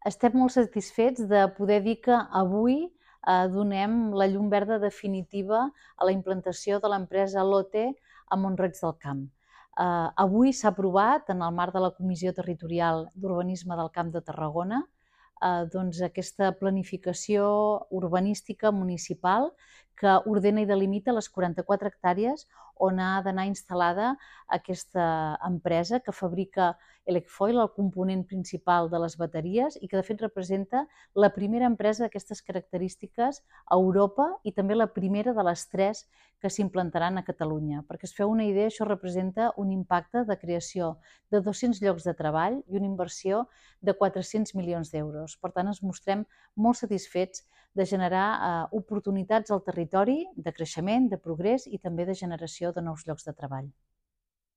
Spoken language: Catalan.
Estem molt satisfets de poder dir que avui donem la llum verda definitiva a la implantació de l'empresa Lotte a Mont-roig del Camp. Avui s'ha aprovat, en el marc de la Comissió Territorial d'Urbanisme del Camp de Tarragona, aquesta planificació urbanística municipal que ordena i delimita les 44 hectàrees on ha d'anar instal·lada aquesta empresa que fabrica Elecfoil, el component principal de les bateries, i que de fet representa la primera empresa d'aquestes característiques a Europa i també la primera de les 3 que s'implantaran a Catalunya. Perquè es feu una idea, això representa un impacte de creació de 200 llocs de treball i una inversió de 400 milions d'euros. Per tant, ens mostrem molt satisfets de generar oportunitats al territori de creixement, de progrés i també de generació de nous llocs de treball.